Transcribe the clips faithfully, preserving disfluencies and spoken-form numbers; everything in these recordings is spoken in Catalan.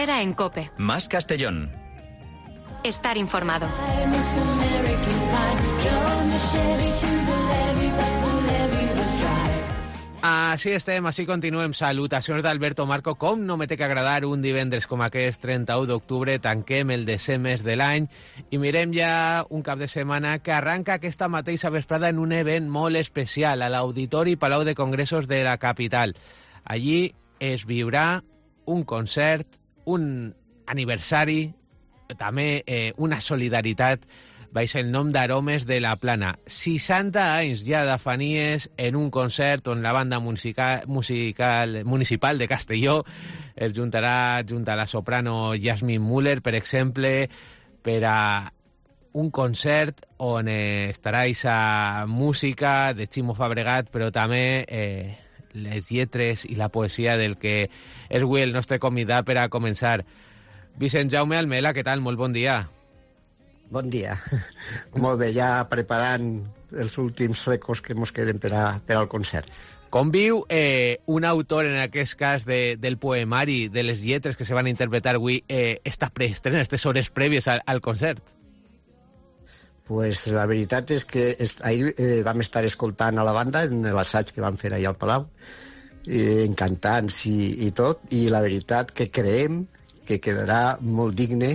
Herrera en COPE. Más Castellón. Estar informado. Així estem, així continuem. Salutacions d'Alberto Marco. Com no me té que agradar un divendres com aquest, trenta-u d'octubre, tanquem el desè mes de l'any i mirem ja un cap de setmana que arranca aquesta mateixa vesprada en un event molt especial a l'Auditori Palau de Congressos de la capital. Allí es viurà un concert, un aniversari, també eh, una solidaritat baix el nom d'Aromes de la Plana. seixanta anys ja de Fanies en un concert on la banda musical, musical municipal de Castelló es juntarà junt a la soprano Jasmine Müller, per exemple, per a un concert on eh, estarà aquesta música de Ximo Fabregat, però també eh, les lletres i la poesia del que és avui el nostre convidat per a començar. Vicent Jaume Almela, què tal? Molt bon dia. Bon dia. Molt bé, ja preparant els últims recos que ens queden per, a, per al concert. Com viu eh, un autor, en aquest cas, de, del poemari, de les lletres que se van a interpretar avui, eh, esta preestrena, aquestes hores prèvies al, al concert? Pues la veritat és que est, ahir eh, vam estar escoltant a la banda en l'assaig que vam fer allà al Palau, eh, encantants i, i tot, i la veritat que creiem que quedarà molt digne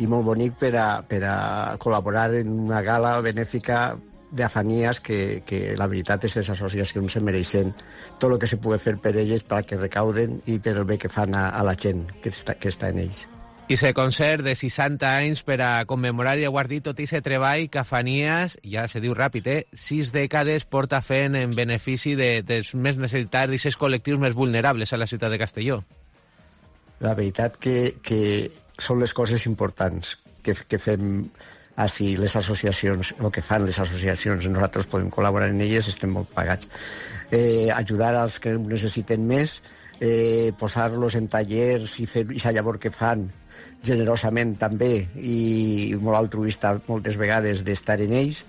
i molt bonic per a, per a col·laborar en una gala benèfica d'Afanies que, que la veritat és que les associacions se mereixen tot el que se pugui fer per elles perquè recauden i per el bé que fan a, a la gent que està, que està en ells. I aquest concert de seixanta anys per a commemorar i guardar tot aquest treball que Afanies, ja se diu ràpid, eh, sis dècades porta fent en benefici de, dels més necessitats d'aquests col·lectius més vulnerables a la ciutat de Castelló. La veritat que, que són les coses importants que, que fem així les associacions, o que fan les associacions. Nosaltres podem col·laborar en elles, estem molt pagats. Eh, ajudar als que ho necessiten més, eh, posar-los en tallers i fer aquesta llavor que fan generosament també i molt altruista moltes vegades d'estar en ells,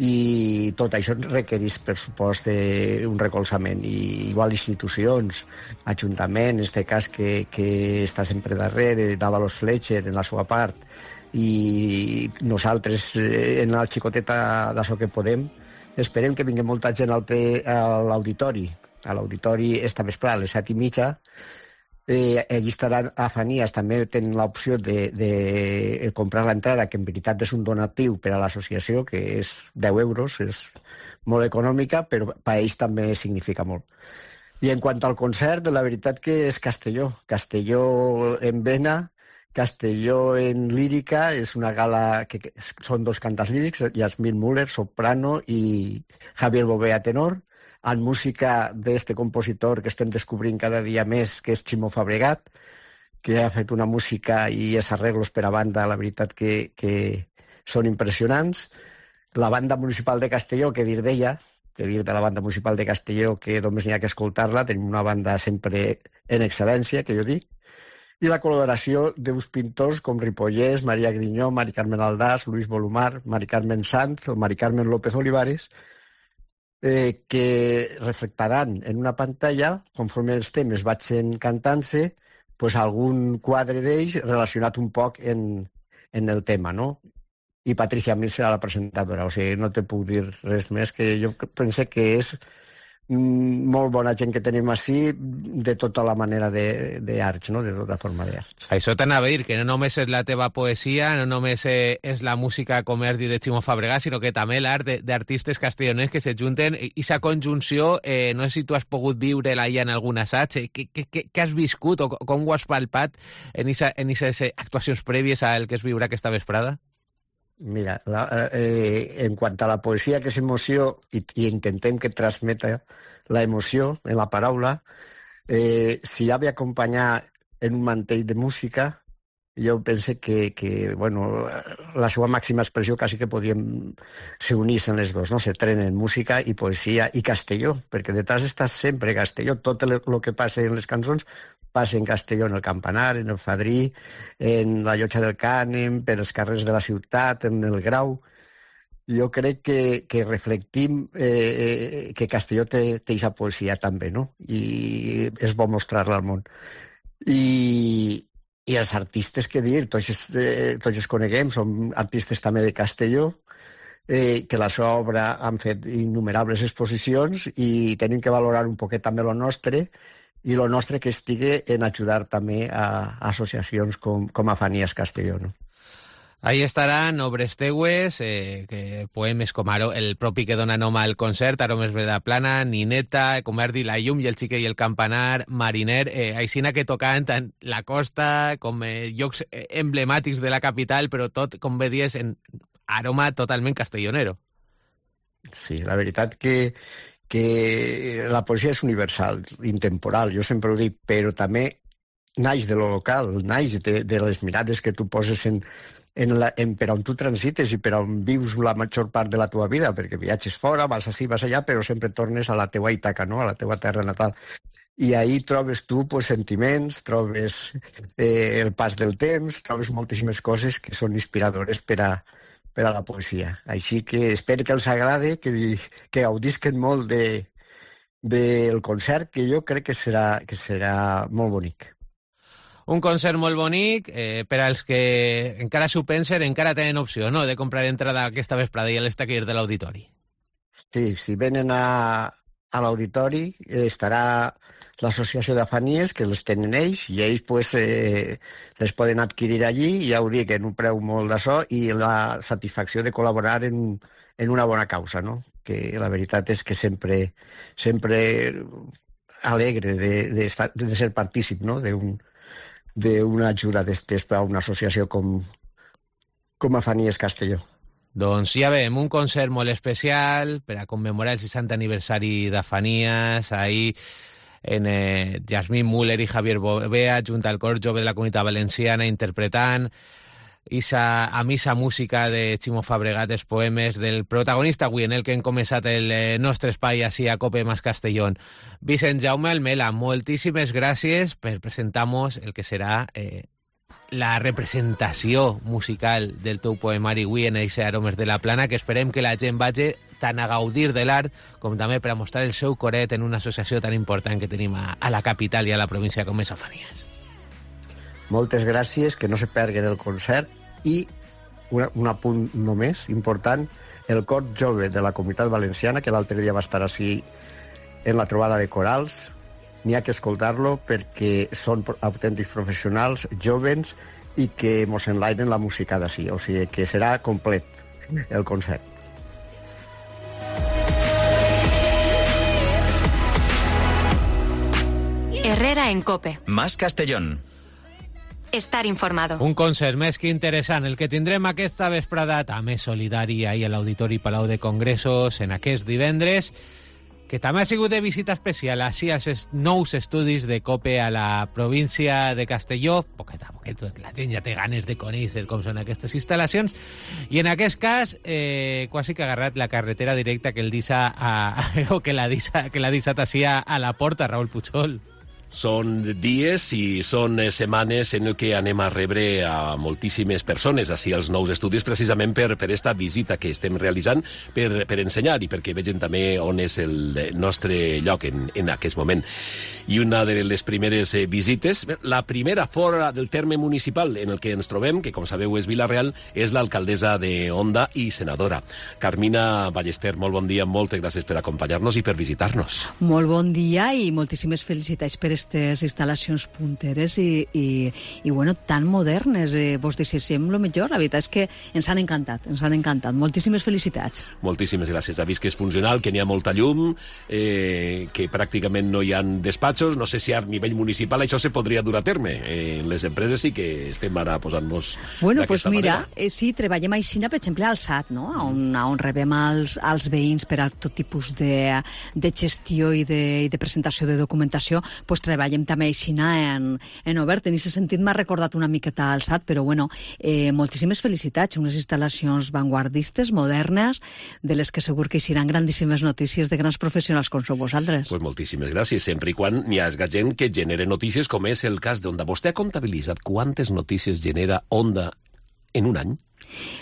i tot això requereix, per supost, un recolzament. I igual institucions, ajuntament, en aquest cas que, que està sempre darrere, Dávalos Fletcher en la seva part, i nosaltres en la xicoteta d'això que podem, esperem que vingui molta gent al te, a l'auditori. A l'auditori esta vesprada, a les set i mitja, Eh, allí estaran Afanies, també tenen l'opció de, de comprar l'entrada, que en veritat és un donatiu per a l'associació, que és deu euros, és molt econòmica, però per a ells també significa molt. I en quant al concert, la veritat que és Castelló. Castelló en vena, Castelló en lírica, és una gala que són dos cantants lírics, Jasmine Müller, soprano, i Javier Bové, tenor, en música d'este compositor que estem descobrint cada dia més, que és Ximo Fabregat, que ha fet una música i els arreglos per a banda, la veritat que, que són impressionants. La banda municipal de Castelló, que dir d'ella, que dir de la banda municipal de Castelló, que només n'hi ha que escoltar-la, tenim una banda sempre en excel·lència, que jo dic, i la col·laboració d'uns pintors com Ripollès, Maria Grinyó, Mari Carmen Aldàs, Luis Bolumar, Mari Carmen Sanz o Mari Carmen López Olivares, Eh, que reflectaran en una pantalla, conforme els temes vagin cantant-se, pues algun quadre d'ells relacionat un poc en, en el tema, no? I Patricia Mir serà la presentadora, o sigui, no te puc dir res més, que jo pense que és mm, molt bona gent que tenim així, de tota la manera d'arts, no? De tota forma d'arts. Això t'anava a dir, que no només és la teva poesia, no només és la música, com has dit, de Ximo Fabregat, sinó que també l'art d'artistes castelloners que se junten, i aquesta conjunció, eh, no sé si tu has pogut viure-la ja en algun assaig, eh, què, què, què has viscut o com ho has palpat en aquestes actuacions prèvies al que es viurà aquesta vesprada? Mira, la, eh, en quant a la poesia, que és emoció, i, i intentem que transmeta la emoció en la paraula, eh, si ha d'acompanyar en un mantell de música, jo pense que, que bueno, la seva màxima expressió quasi que podríem se unir-se en les dos, no? Se trenen música i poesia i Castelló, perquè detrás està sempre Castelló. Tot el, el que passa en les cançons passa en Castelló, en el Campanar, en el Fadrí, en la Llotja del Cànem, per els carrers de la ciutat, en el Grau. Jo crec que, que reflectim eh, que Castelló té aquesta poesia també, no? I és bo mostrar-la al món. I, I els artistes, què dir, tots, eh, tots els coneguem, són artistes també de Castelló, eh, que la seva obra han fet innumerables exposicions i tenim que valorar un poquet també lo nostre, i lo nostre que estigui en ajudar també a, a associacions com, com Afanies Castelló, no? Ahí estaran obres teues, eh, que poemes com Aro, el propi que dona nom al concert, Aromes de la Plana, Nineta, com has dit, La llum i el xiquet i el campanar, Mariner, eh, aixina que tocaven tant la costa com eh, llocs emblemàtics de la capital, però tot, com bé dies, en aroma totalment castellonero. Sí, la veritat que, que la poesia és universal, intemporal, jo sempre ho dic, però també naix de lo local, naix de, de les mirades que tu poses en En la, en, per on tu transites i per on vius la major part de la teva vida, perquè viatges fora, vas així, vas allà, però sempre tornes a la teua Ítaca, no? A la teua terra natal. I ahí trobes tu pues, sentiments, trobes eh, el pas del temps, trobes moltíssimes coses que són inspiradores per a, per a la poesia. Així que espero que els agrade, que, que gaudisquen molt de, del concert, que jo crec que serà, que serà molt bonic. Un concert molt bonic, eh, per als que encara s'ho pensen, encara tenen opció, no?, de comprar entrada aquesta vesprada i a les taquilles de l'auditori. Sí, si venen a, a l'auditori eh, estarà l'associació d'Afanies, que les tenen ells, i ells pues, eh, les poden adquirir allí, i ja ho dic, en un preu molt d'això, i la satisfacció de col·laborar en, en una bona causa, no? Que la veritat és que sempre, sempre alegre de, de, estar, de ser partícip, no?, d'un d'una ajuda d'estes per a una associació com, com Afanies Castelló. Doncs ja veiem, un concert molt especial per a commemorar el seixantè aniversari d'Afanies, ahir en eh, Jasmine Müller i Javier Bovea, junt al cor jove de la Comunitat Valenciana, interpretant Isa, a missa música de Ximo Fabregat, els poemes del protagonista avui en el que hem començat el eh, nostre espai així a Cope Más Castellón. Vicent Jaume Almela, moltíssimes gràcies per presentar-nos el que serà eh, la representació musical del teu poemari avui en eixe Aromes de la Plana, que esperem que la gent vagi tant a gaudir de l'art com també per a mostrar el seu coret en una associació tan important que tenim a, a la capital i a la província com és Afanies. Moltes gràcies, que no se perguen el concert, i un, un apunt només important, el cor jove de la Comunitat Valenciana, que l'altre dia va estar així en la trobada de corals, n'hi ha que escoltar-lo perquè són autèntics professionals, jovens, i que mos enlairen la música d'ací, o sigui que serà complet el concert. Herrera en Cope. Más Castellón. Estar informado. Un concert més que interessant, el que tindrem aquesta vesprada, també solidari ahir a l'Auditori Palau de Congressos en aquest divendres, que també ha sigut de visita especial així als nous estudis de Cope a la província de Castelló, poqueta a poqueta, la gent ja té ganes de conèixer com són aquestes instal·lacions, i en aquest cas eh, quasi que ha agarrat la carretera directa que el deixa a, o que la deixa, que la deixat així a, a la porta, Raül Puigol. Són dies i són setmanes en el que anem a rebre a moltíssimes persones així als nous estudis, precisament per per esta visita que estem realitzant, per, per ensenyar i perquè vegin també on és el nostre lloc en, en aquest moment. I una de les primeres eh, visites, la primera fora del terme municipal en el que ens trobem, que com sabeu és Vila-real, és l'alcaldessa de Onda i senadora. Carmina Ballester, molt bon dia, moltes gràcies per acompanyar-nos i per visitar-nos. Molt bon dia i moltíssimes felicitats per aquestes instal·lacions punteres i, i, i bueno, tan modernes. Eh, vos desitgem el millor. La veritat és que ens han encantat, ens han encantat. Moltíssimes felicitats. Moltíssimes gràcies. Ha vist que és funcional, que n'hi ha molta llum, eh, que pràcticament no hi ha despatxos. No sé si a nivell municipal això se podria dur a terme. Eh, les empreses sí que estem ara posant-nos bueno, d'aquesta pues mira, manera. Eh, sí, treballem així, per exemple, al S A T, no? on, on rebem els, els veïns per a tot tipus de, de gestió i de, i de presentació de documentació, pues treballem també així en, en obert. En aquest sentit m'ha recordat una miqueta al S A T, però bueno, eh, moltíssimes felicitats, unes instal·lacions vanguardistes, modernes, de les que segur que hi seran grandíssimes notícies de grans professionals com sou vosaltres. Pues moltíssimes gràcies, sempre i quan n'hi hagi gent que genere notícies, com és el cas d'Onda. Vostè ha comptabilitzat quantes notícies genera Onda en un any?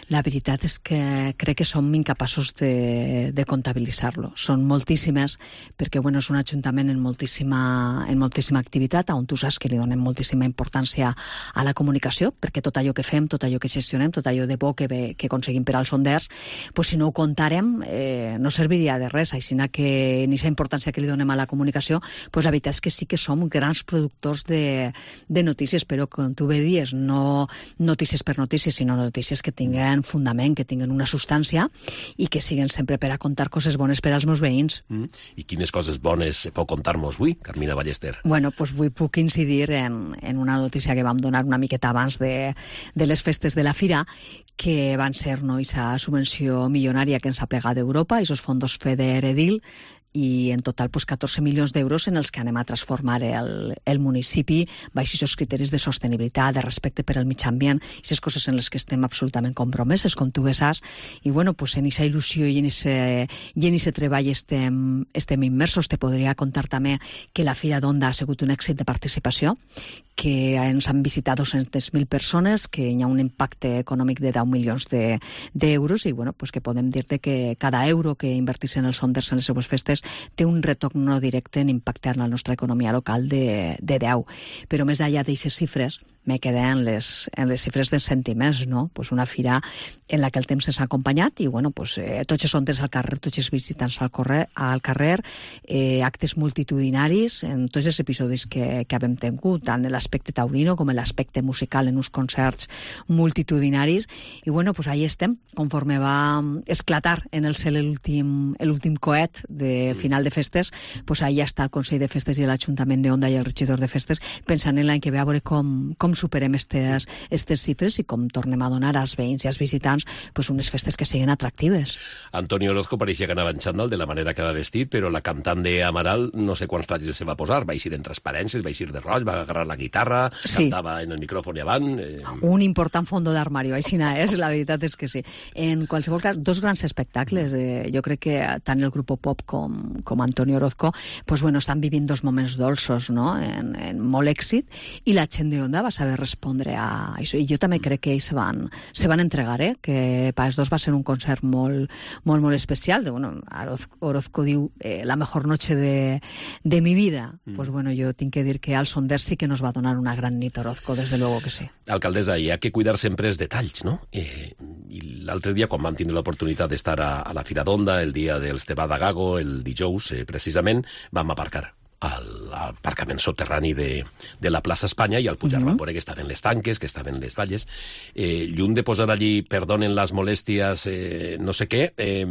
La veritat és que crec que som incapaços de, de comptabilitzar-lo. Són moltíssimes, perquè bueno, és un ajuntament en moltíssima, en moltíssima activitat, on tu saps que li donem moltíssima importància a la comunicació, perquè tot allò que fem, tot allò que gestionem, tot allò de bo que, ve, que aconseguim per als sonders, pues, si no ho comptàrem, eh, no serviria de res. Així que en aquesta importància que li donem a la comunicació, pues, la veritat és que sí que som grans productors de, de notícies, però com tu bé dies, no notícies per notícies, sinó notícies que tinguen fundament, que tinguen una substància i que siguen sempre per a contar coses bones per als meus veïns. Mm. I quines coses bones pot contar-nos avui, Carmina Ballester? Bueno, doncs avui puc incidir en, en una notícia que vam donar una miqueta abans de, de les festes de la Fira, que van ser no, aquesta subvenció milionària que ens ha plegat d'Europa, aquests fons FEDER-EDIL, i en total pues, catorze milions d'euros en els que anem a transformar el, el municipi baix aquests criteris de sostenibilitat, de respecte per al mig ambient, aquestes coses en les que estem absolutament compromeses, com tu bé saps, i bueno, pues, en aquesta il·lusió i en aquest treball estem, estem immersos. Te podria contar també que la Fira d'Onda ha sigut un èxit de participació, que ens han visitat dos-centes mil persones, que hi ha un impacte econòmic de deu milions d'euros, i bueno, pues, que podem dir-te que cada euro que invertissin els sonders en les seues festes té un retorn no directe en impactar en la nostra economia local de, de deu. Però més enllà d'aquestes xifres, me quedé en les, en les xifres de sentiments, no? Pues una fira en la que el temps ens ha acompanyat i, bueno, pues, eh, tots els sonders al carrer, tots els visitants al, correr, al carrer, eh, actes multitudinaris en tots els episodis que, que hem tingut, tant en l'aspecte taurino com en l'aspecte musical, en uns concerts multitudinaris, i, bueno, pues ahí estem, conforme va esclatar en el cel l'últim coet de final de festes, pues ahí està el Consell de Festes i l'Ajuntament d'Onda i el regidor de festes pensant en l'any que ve a veure com, com superem aquestes xifres i com tornem a donar als veïns i als visitants pues, unes festes que siguin atractives. Antonio Orozco pareixia que anava en xandall de la manera que va vestit, però la cantant d'Amaral no sé quants talls se va posar, va eixir en transparències, va eixir de roig, va agarrar la guitarra, sí. Cantava en el micròfon i avant... Eh... Un important fondo d'armario, així és, la veritat és que sí. En qualsevol cas, dos grans espectacles. Eh, jo crec que tant el grup pop com, com Antonio Orozco pues, bueno, estan vivint dos moments dolços, no? en, en molt èxit, i la gent d'Onda va saber respondre a això. I jo també crec que ells se van, se van entregar, eh? Que per als dos va ser un concert molt, molt, molt especial. De, bueno, Orozco diu eh, la mejor noche de, de mi vida. Mm. Pues bueno, jo tinc que dir que al Sonder sí que nos va donar una gran nit Orozco, desde luego que sí. Alcaldessa, hi ha que cuidar sempre els detalls, no? Eh, I l'altre dia, quan vam tindre l'oportunitat d'estar a, a la Fira d'Onda, el dia dels Tebà de Gago, el dijous, eh, precisament, vam aparcar al aparcament soterrani de, de la plaça Espanya i al pujar uh -huh. vam veure que estaven les tanques, que estaven les valles. Eh, lluny de posar allí perdonen les molèsties, eh, no sé què, eh,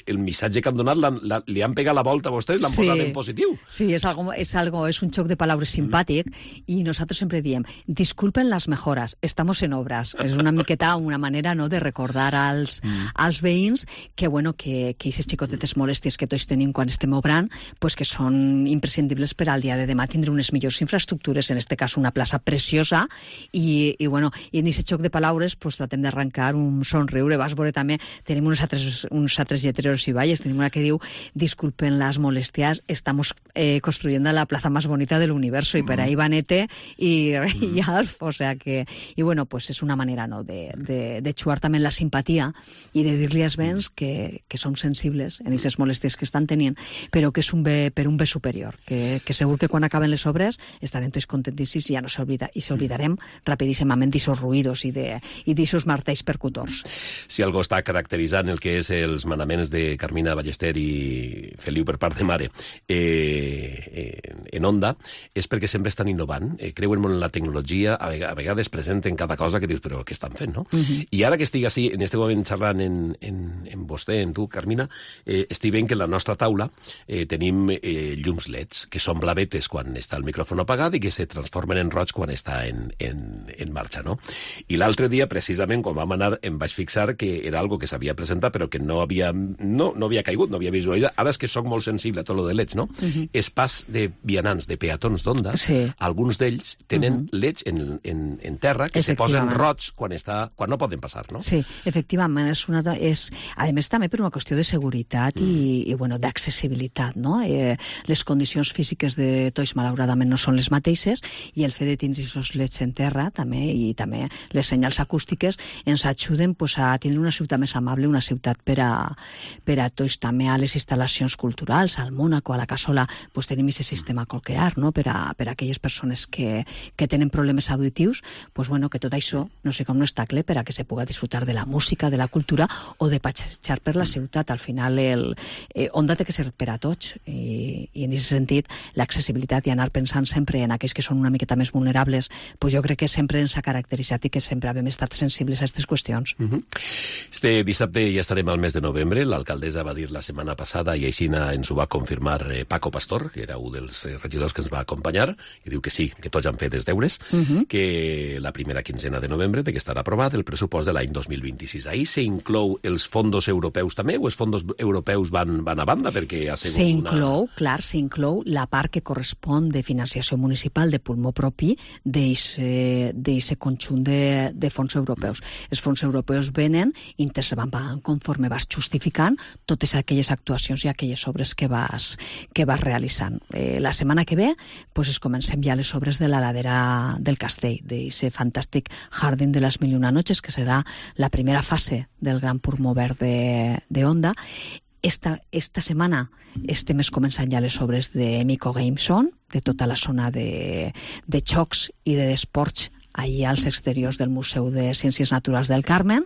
el missatge que han donat la, la, li han pegat la volta a vostès, l'han sí. posat en positiu. Sí, és algo, és algo, és un xoc de paraules simpàtic uh -huh. i nosaltres sempre diem, disculpen las mejoras, estamos en obras. És una miqueta una manera no, de recordar als, uh -huh. als veïns que, bueno, que, que aquestes xicotetes molèsties que tots tenim quan estem obrant, pues que són imprescindibles per al dia de demà tindre unes millors infraestructures, en este cas una plaça preciosa, i, i bueno, i en aquest xoc de paraules pues, tratem d'arrencar un somriure. Vas veure també, tenim uns altres, uns altres lletreros i valles, tenim una que diu disculpen las molestias, estamos eh, construyendo la plaza más bonita del universo, i per ahí va Nete i, mm. i Alf, o sea que, i bueno, pues és una manera no, de, de, de xuar també la simpatia i de dir-li als veïns que, que som sensibles en aquestes molèsties que estan tenint, però que és un bé, per un bé superior. Que, que segur que quan acaben les obres estarem tots contentíssims i ja no s'oblida, i s'oblidarem rapidíssimament d'aixos ruïdos i d'aixos martells percutors. Si algú està caracteritzant el que és els manaments de Carmina Ballester i Feliu per part de mare eh, eh, en Onda, és perquè sempre estan innovant, eh, creuen molt en la tecnologia, a, a vegades presenten cada cosa que dius, però què estan fent, no? Uh -huh. I ara que estic així, en este moment xerrant en, en, en vostè, en tu, Carmina, eh, estic veient que en la nostra taula eh, tenim eh, llums L E Ds, que són blavetes quan està el micròfon apagat i que se transformen en roig quan està en, en, en marxa, no? I l'altre dia, precisament, quan vam anar, em vaig fixar que era algo que s'havia presentat però que no havia, no, no havia caigut, no havia visualitzat. Ara és que sóc molt sensible a tot lo de L E Ds, no? Uh -huh. És pas de Bienal vianants, de peatons d'Onda, Sí. alguns d'ells tenen Mhm. leds en, en, en terra que se posen Efectivament. roig quan, està, quan no poden passar, no? Sí, efectivament, és una, és, a més també per una qüestió de seguretat Mm. i, i bueno, d'accessibilitat, no? Eh, les condicions físiques de tots malauradament no són les mateixes i el fet de tindre aquests leds en terra també i també les senyals acústiques ens ajuden pues, a tindre una ciutat més amable, una ciutat per a, per a tots, també a les instal·lacions culturals, al Mónaco, a la Cassola, pues, tenim aquest sistema cochlear, no? per, a, per a aquelles persones que, que tenen problemes auditius, pues, bueno, que tot això no sé com no està clar per a que se puga disfrutar de la música, de la cultura o de passejar per la ciutat. Al final, el, eh, Onda té que ser per a tots i, i en aquest sentit l'accessibilitat i anar pensant sempre en aquells que són una miqueta més vulnerables, pues jo crec que sempre ens ha caracteritzat i que sempre hem estat sensibles a aquestes qüestions. Uh -huh. Este dissabte ja estarem al mes de novembre. L'alcaldessa va dir la setmana passada, i així ens ho va confirmar eh, Paco Pastor, que era un dels eh, regidors que ens va acompanyar, i diu que sí, que tots han fet els deures, uh -huh. que la primera quinzena de novembre té que estar aprovat el pressupost de l'any dos mil vint-i-sis. Ahí s'inclou els fondos europeus també, o els fondos europeus van, van a banda? Perquè ha sigut S'inclou, una... clar, s'inclou la part que correspon de financiació municipal de pulmó propi d'aquest conjunt de, de fons europeus. Els fons europeus venen i te se van pagant conforme vas justificant totes aquelles actuacions i aquelles obres que vas, que vas realitzant. Eh, la setmana que ve pues, es comencem ja les obres de la ladera del castell, d'aquest fantàstic Jardín de les Mil i una Noches, que serà la primera fase del gran pulmó verd de, de Onda. Esta, esta setmana estem començant ja les obres de Mico Gameson, de tota la zona de, de xocs i d'esports allà als exteriors del Museu de Ciències Naturals del Carmen.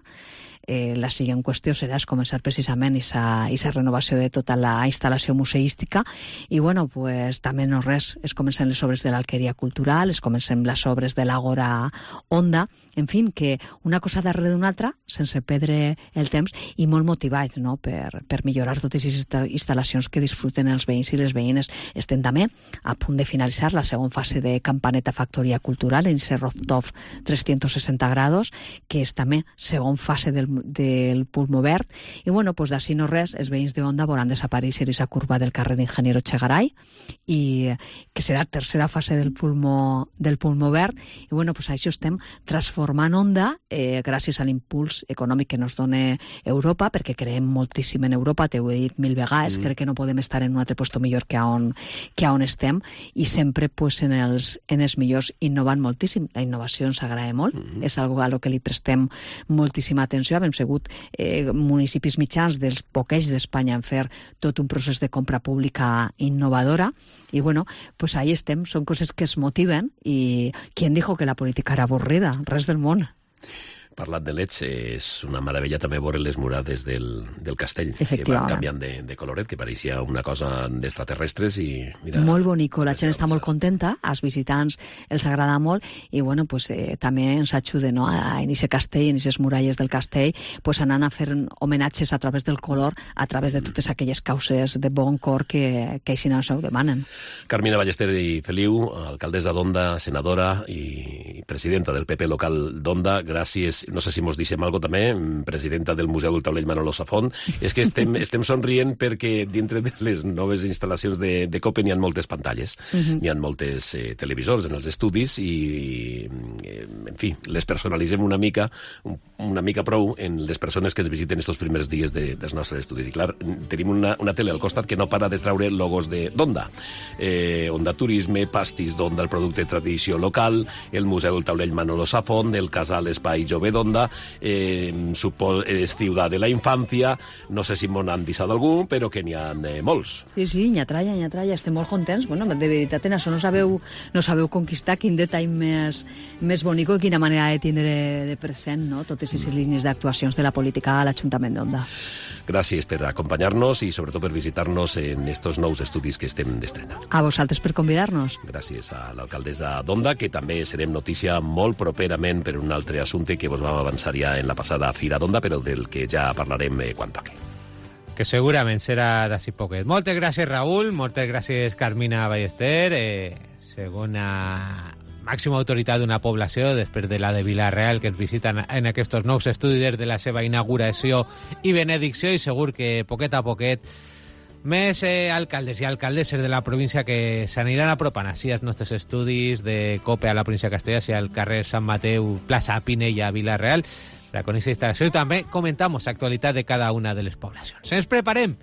Eh, la següent qüestió serà és començar precisament aquesta renovació de tota la instal·lació museística i bueno, pues, també no res, es comencen les obres de l'Alqueria Cultural, es comencen les obres de l'Agora Onda, en fi, que una cosa darrere d'una altra, sense perdre el temps i molt motivats, no?, per, per millorar totes aquestes instal·lacions que disfruten els veïns i les veïnes. Estem també a punt de finalitzar la segona fase de Campaneta Factoria Cultural en aquest rooftop trescientos sesenta grados, que és també segona fase del del pulmó verd, i bueno, pues d'ací no res, els veïns d'Onda veuran desaparèixer aquesta curva del carrer Ingeniero Chegaray, i que serà la tercera fase del pulmó, del pulmó verd, i bueno, pues això estem transformant Onda eh, gràcies a l'impuls econòmic que ens dona Europa, perquè creem moltíssim en Europa, t'ho he dit mil vegades, mm. crec que no podem estar en un altre lloc millor que on, que on estem, i sempre pues, en, els, en els millors innovant moltíssim. La innovació ens agrada molt, mm. és algo a lo que li prestem moltíssima atenció. Hem sigut eh, municipis mitjans dels poquets d'Espanya en fer tot un procés de compra pública innovadora i bueno, pues ahí estem, són coses que es motiven i qui dijo que la política era avorrida? Res del món. Parlant de leds, és una meravella també veure les murades del, del castell, que van canviant de, de coloret, que pareixia una cosa d'extraterrestres i mira... Molt bonico, la gent està molt contenta, als visitants els agrada molt i bueno, pues, eh, també ens ajuda, no?, a, en aquest castell, en aquestes muralles del castell, pues, anant a fer homenatges a través del color, a través de totes aquelles causes de bon cor que, que així no ho demanen. Carmina Ballester i Feliu, alcaldessa d'Onda, senadora i presidenta del P P local d'Onda, gràcies. No sé si mos deixem alguna cosa també, presidenta del Museu del Taulell Manolo Safont. És que estem, estem somrient perquè dintre de les noves instal·lacions de, de COPE n'hi ha moltes pantalles, uh-huh. n'hi ha moltes eh, televisors en els estudis i, i, en fi, les personalitzem una mica, una mica prou en les persones que es visiten estos primers dies de, dels nostres estudis. I clar, tenim una, una tele al costat que no para de traure logos d'Onda. Eh, Onda Turisme, pastís d'Onda, el producte de tradició local, el Museu del Taulell Manolo Safont, el Casal Espai Jove d'Onda, eh, supo, és Ciutat de la Infància, no sé si m'ho han deixat algú, però que n'hi ha eh, molts. Sí, sí, nyatalla, nyatalla, estem molt contents. Bueno, de veritat, en això no sabeu, no sabeu conquistar quin detall més, més bonic i quina manera de tindre de present, no?, totes aquestes línies d'actuacions de la política a l'Ajuntament d'Onda. Gràcies per acompanyar-nos i sobretot per visitar-nos en estos nous estudis que estem d'estrena. A vosaltres per convidar-nos. Gràcies a l'alcaldessa d'Onda, que també serem notícia molt properament per un altre assumpte que vos vam avançar ja en la passada Fira d'Onda, però del que ja parlarem eh, quan toqui. Que segurament serà d'ací poquet. Moltes gràcies, Raül, moltes gràcies, Carmina Ballester, eh, segona màxima autoritat d'una població, després de la de Vila-real, que ens visiten en aquests nous estudis des de la seva inauguració i benedicció, i segur que poquet a poquet Més eh, alcaldes i alcaldesses de la província que s'aniran apropant així als nostres estudis de COPE a la província de Castellà, al carrer Sant Mateu, plaça Pinella, Vila-real, per a conèixer instal·lació, i també comentamos l'actualitat de cada una de les poblacions. Ens preparem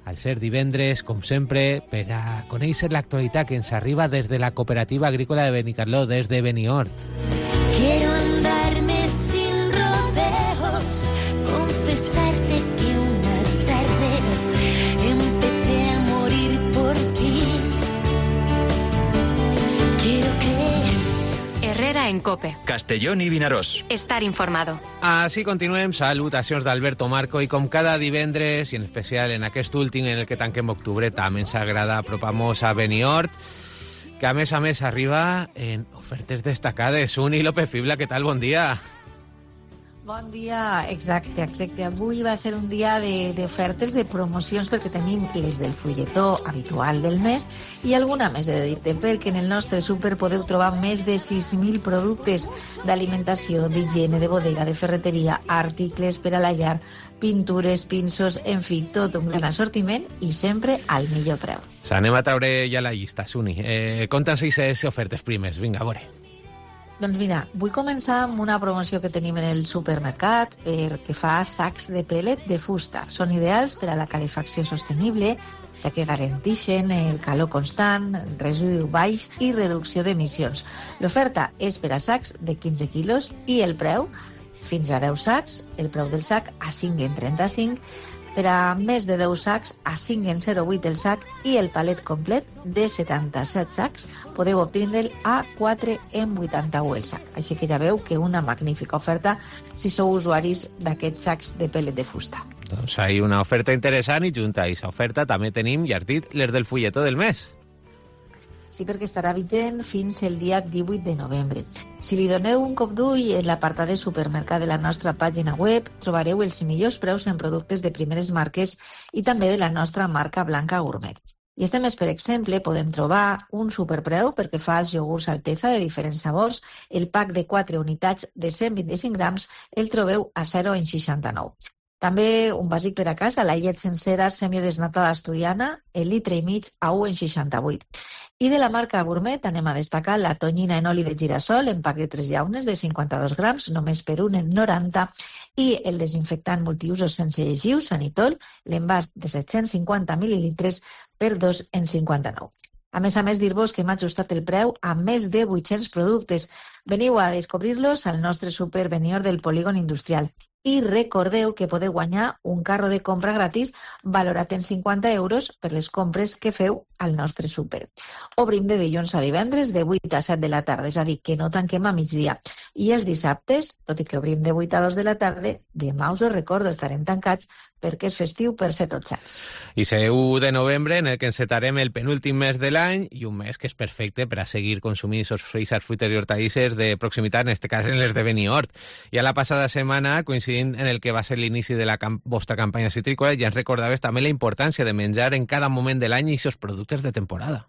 al ser divendres, com sempre, per a conèixer l'actualitat que ens arriba des de la Cooperativa Agrícola de Benicarló, des de Beniort. Quiero andarme sin rodeos, confesarte que una tarde empecé a morir por ti. Quiero creer. Herrera en COPE. Castellón i Vinaròs. Estar informado. Així continuem, salutacions d'Alberto Marco, i com cada divendres, i en especial en aquest últim en el que tanquem octubre, també ens agrada apropar-nos a Beniort, que a més a més arriba en ofertes destacades. Uni López Fibla, què tal? Bon dia. Bon dia, exacte, exacte. Avui va ser un dia d'ofertes, de, de promocions, perquè tenim les del fulletó habitual del mes i alguna més de dit, perquè en el nostre súper podeu trobar més de sis mil productes d'alimentació, d'higiene, de bodega, de ferreteria, articles per a la llar, pintures, pinços, en fi, tot un gran assortiment i sempre al millor preu. S'anem a traure ja la llista, Suni. Eh, Conta'ns aquestes ofertes primes. Vinga, a veure. Doncs mira, vull començar amb una promoció que tenim en el supermercat perquè fa sacs de pellet de fusta. Són ideals per a la calefacció sostenible, ja que garanteixen el calor constant, residu baix i reducció d'emissions. L'oferta és per a sacs de quinze quilos i el preu, fins a deu sacs, el preu del sac a cinc en trenta-cinc, per a més de deu sacs a cinc en zero coma vuit el sac i el palet complet de setanta-set sacs podeu obtindre'l a quatre en vuitanta-u el sac. Així que ja veu que una magnífica oferta si sou usuaris d'aquests sacs de pellet de fusta. Doncs hi ha una oferta interessant i junta a aquesta oferta també tenim, ja has dit, les del fulletó del mes. Sí, perquè estarà vigent fins el dia divuit de novembre. Si li doneu un cop d'ull en l'apartat de supermercat de la nostra pàgina web, trobareu els millors preus en productes de primeres marques i també de la nostra marca Blanca Gourmet. I este mes, per exemple, podem trobar un superpreu perquè fa els iogurts Alteza de diferents sabors. El pack de quatre unitats de cent vint-i-cinc grams el trobeu a zero en seixanta-nou. També un bàsic per a casa, la llet sencera semidesnatada asturiana, el litre i mig a u en seixanta-vuit. I de la marca Gourmet anem a destacar la tonyina en oli de girassol en pack de tres llaunes de cinquanta-dos grams, només per un en noranta, i el desinfectant multiusos sense llegiu, Sanitol, l'envàs de set-cents cinquanta mil·lilitres per dos en cinquanta-nou. A més a més, dir-vos que hem ajustat el preu a més de vuit-cents productes. Veniu a descobrir-los al nostre súper Beniort del Polígon Industrial. I recordeu que podeu guanyar un carro de compra gratis valorat en cinquanta euros per les compres que feu al nostre súper. Obrim de dilluns a divendres de vuit a set de la tarda, és a dir, que no tanquem a migdia. I els dissabtes, tot i que obrim de vuit a dos de la tarda, demà us ho recordo, estarem tancats perquè és festiu per ser tots sants. I ser u de novembre, en el que encetarem el penúltim mes de l'any i un mes que és perfecte per a seguir consumint aquests fruits, fruites i hortalisses de proximitat, en aquest cas en les de Beniort. I a la passada setmana, coincidint en el que va ser l'inici de la camp vostra campanya citrícola, ja ens recordaves també la importància de menjar en cada moment de l'any i aquests productes de temporada.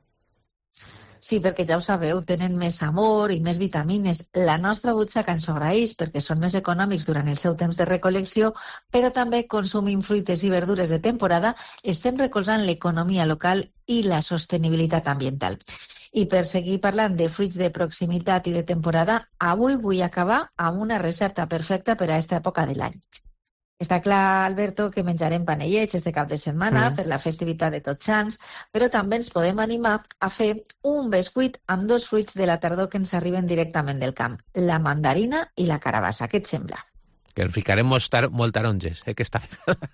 Sí, perquè ja ho sabeu, tenen més amor i més vitamines. La nostra butxaca ens ho agraeix perquè són més econòmics durant el seu temps de recol·lecció, però també consumint fruites i verdures de temporada estem recolzant l'economia local i la sostenibilitat ambiental. I per seguir parlant de fruits de proximitat i de temporada, avui vull acabar amb una recepta perfecta per a aquesta època de l'any. Està clar, Alberto, que menjarem panellets este cap de setmana mm. per la festivitat de Tots Sants, però també ens podem animar a fer un bescuit amb dos fruits de la tardor que ens arriben directament del camp, la mandarina i la carabassa. Què et sembla? Que en ficarem molt, tar molt taronges, eh, aquesta vegada.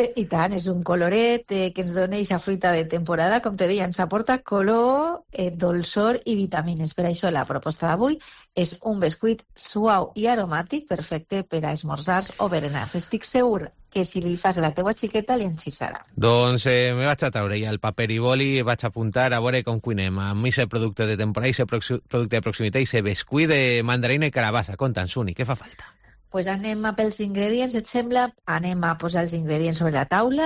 I tant, és un coloret eh, que ens dona aquesta fruita de temporada, com te deia, ens aporta color, eh, dolçor i vitamines. Per això la proposta d'avui és un bescuit suau i aromàtic, perfecte per a esmorzars o berenars. Estic segur que si li fas a la teua xiqueta li enxissarà. Doncs eh, me vaig a treure ja el paper i boli i vaig a apuntar a veure com cuinem amb aquest producte de temporada, aquest producte de proximitat i aquest bescuit de mandarina i carabassa. Conta'ns, Uni, què fa falta? Pues anem a pels ingredients, et sembla? Anem a posar els ingredients sobre la taula.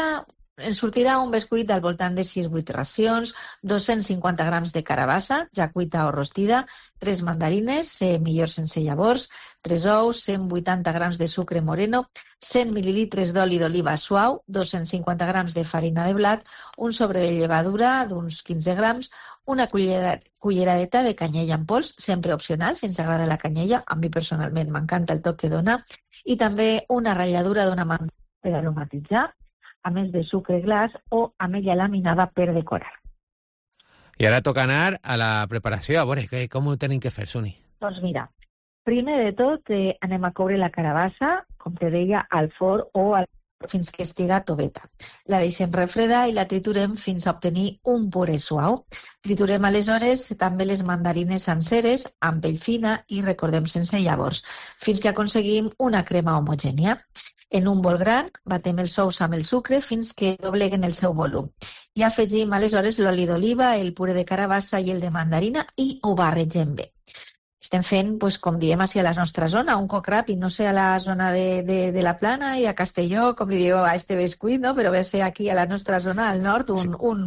Ens sortirà un bescuit al voltant de sis vuit racions, dos-cents cinquanta grams de carabassa, ja cuita o rostida, tres mandarines, eh, millor sense llavors, tres ous, cent vuitanta grams de sucre moreno, cent mil·lilitres d'oli d'oliva suau, dos-cents cinquanta grams de farina de blat, un sobre de llevadura d'uns quinze grams, una cullera, culleradeta de canyella en pols, sempre opcional, si ens agrada la canyella, a mi personalment m'encanta el toc que dona, i també una ratlladura d'una mandra per aromatitzar, a més de sucre glaç o ametlla laminada per decorar. I ara toca anar a la preparació. A veure, que, com ho tenim que fer, Suni? Doncs mira, primer de tot eh, anem a coure la carabassa, com te deia, al forn o al fins que estiga toveta. La deixem refredar i la triturem fins a obtenir un puré suau. Triturem aleshores també les mandarines senceres amb pell fina i recordem sense llavors, fins que aconseguim una crema homogènia. En un bol gran, batem els ous amb el sucre fins que dobleguen el seu volum. I afegim aleshores l'oli d'oliva, el puré de carabassa i el de mandarina i ho barregem bé. Estem fent, pues, com diem així a la nostra zona, un coc ràpid, no sé a la zona de, de, de la Plana i a Castelló, com li diu a este bescuit, no? Però ve a ser aquí a la nostra zona, al nord, un, sí. un,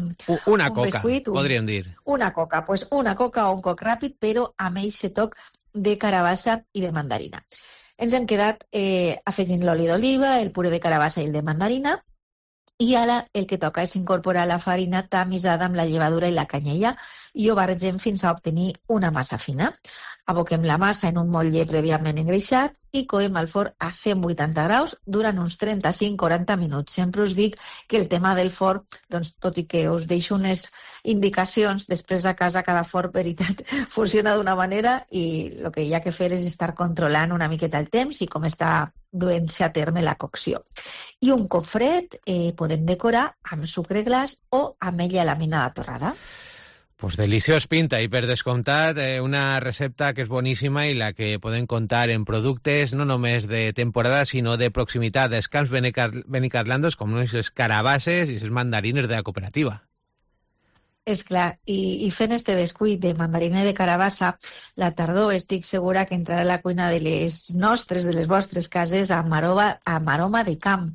una un coca, bescuit, un, podríem dir. Una coca, pues una coca o un coc ràpid, però amb aquest toc de carabassa i de mandarina. Ens hem quedat eh, afegint l'oli d'oliva, el puré de carabassa i el de mandarina, i ara el que toca és incorporar la farina tamisada amb la llevadura i la canyella i ho barregem fins a obtenir una massa fina. Aboquem la massa en un motlle prèviament engreixat i coem al forn a cent vuitanta graus durant uns trenta-cinc a quaranta minuts. Sempre us dic que el tema del forn, doncs, tot i que us deixo unes indicacions, després a casa cada forn, veritat, funciona d'una manera i el que hi ha que fer és estar controlant una miqueta el temps i com està duent-se a terme la cocció. I un cop fred eh, podem decorar amb sucre glaç o ametlla laminada torrada. Pues deliciós pinta i per descomptat eh, una recepta que és boníssima i la que podem comptar en productes no només de temporada sinó de proximitat dels camps benicarlandos com les carabasses i les mandarines de la cooperativa. És clar, i, i fent este bescuit de mandarina i de carabassa, la tardor estic segura que entrarà a la cuina de les nostres, de les vostres cases, amb aroma, amb aroma de camp,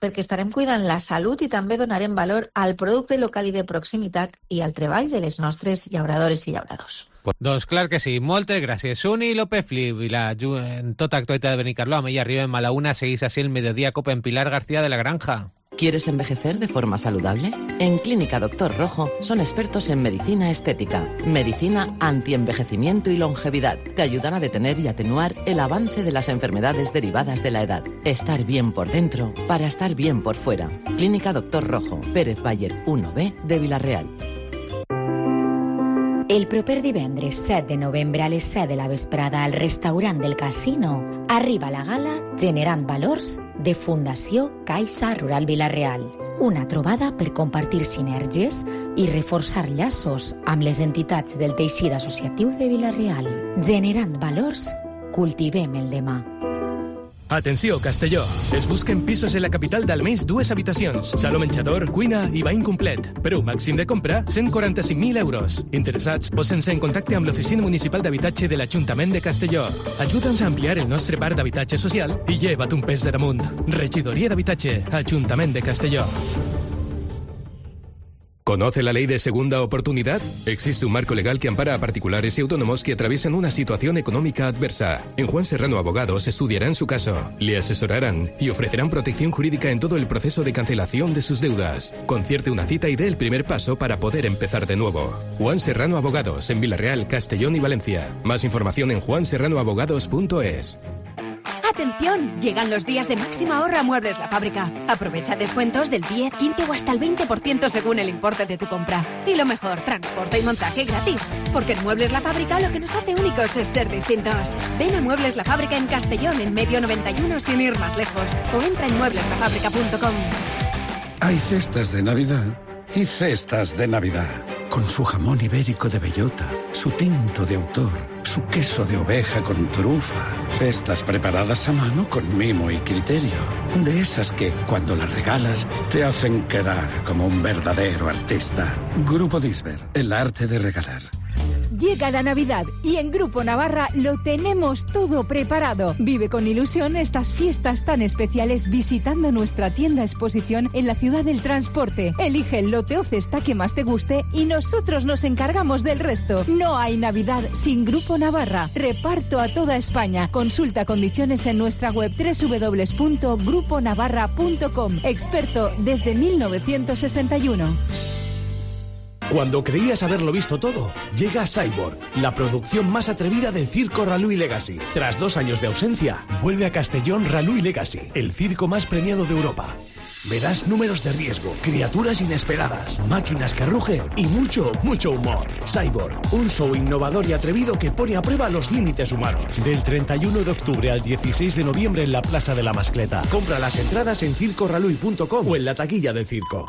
perquè estarem cuidant la salut i també donarem valor al producte local i de proximitat i al treball de les nostres llauradores i llauradors. Pues, doncs clar que sí. Moltes gràcies, Suni López Flip. I la, en tota actualitat de Benicarló, i arribem a la una, seguís así el mediodía Copa en Pilar García de la Granja. ¿Quieres envejecer de forma saludable? En Clínica Doctor Rojo son expertos en medicina estética, medicina antienvejecimiento y longevidad. Te ayudan a detener y atenuar el avance de las enfermedades derivadas de la edad. Estar bien por dentro para estar bien por fuera. Clínica Doctor Rojo, Pérez Bayer uno B de Vila-real. El proper divendres set de novembre a les set de la vesprada al restaurant del Casino arriba la gala Generant Valors de Fundació Caixa Rural Vila-real. Una trobada per compartir sinergies i reforçar llaços amb les entitats del teixit associatiu de Vila-real. Generant Valors, cultivem el demà. Atenció, Castelló. Es busquen pisos en la capital d'almenys dues habitacions, saló menjador, cuina i bany complet. Preu màxim de compra, cent quaranta-cinc mil euros. Interessats, posen-se en contacte amb l'Oficina Municipal d'Habitatge de l'Ajuntament de Castelló. Ajuda'ns a ampliar el nostre parc d'habitatge social i lleva't un pes de damunt. Regidoria d'Habitatge, Ajuntament de Castelló. ¿Conoce la ley de segunda oportunidad? Existe un marco legal que ampara a particulares y autónomos que atraviesan una situación económica adversa. En Juan Serrano Abogados estudiarán su caso, le asesorarán y ofrecerán protección jurídica en todo el proceso de cancelación de sus deudas. Concierte una cita y dé el primer paso para poder empezar de nuevo. Juan Serrano Abogados, en Vila-real, Castellón y Valencia. Más información en juan serrano abogados punto es. ¡Atención! Llegan los días de máxima ahorro a Muebles La Fábrica. Aprovecha descuentos del diez, quince o hasta el veinte por ciento según el importe de tu compra. Y lo mejor, transporte y montaje gratis. Porque en Muebles La Fábrica lo que nos hace únicos es ser distintos. Ven a Muebles La Fábrica en Castellón, en Medio noventa y uno, sin ir más lejos. O entra en muebles la fábrica punto com. Hay cestas de Navidad y cestas de Navidad. Con su jamón ibérico de bellota, su tinto de autor, su queso de oveja con trufa. Cestas preparadas a mano con mimo y criterio. De esas que, cuando las regalas, te hacen quedar como un verdadero artista. Grupo Disber, el arte de regalar. Llega la Navidad y en Grupo Navarra lo tenemos todo preparado. Vive con ilusión estas fiestas tan especiales visitando nuestra tienda exposición en la ciudad del transporte. Elige el lote o cesta que más te guste y nosotros nos encargamos del resto. No hay Navidad sin Grupo Navarra. Reparto a toda España. Consulta condiciones en nuestra web doble u doble u doble u punto grupo navarra punto com. Experto desde mil novecientos sesenta y uno. Cuando creías haberlo visto todo, llega Cyborg, la producción más atrevida del circo Ralui Legacy. Tras dos años de ausencia, vuelve a Castellón Ralui Legacy, el circo más premiado de Europa. Verás números de riesgo, criaturas inesperadas, máquinas que rugen y mucho, mucho humor. Cyborg, un show innovador y atrevido que pone a prueba los límites humanos. Del treinta y uno de octubre al dieciséis de noviembre en la Plaza de la Mascleta. Compra las entradas en circo ralui punto com o en la taquilla del circo.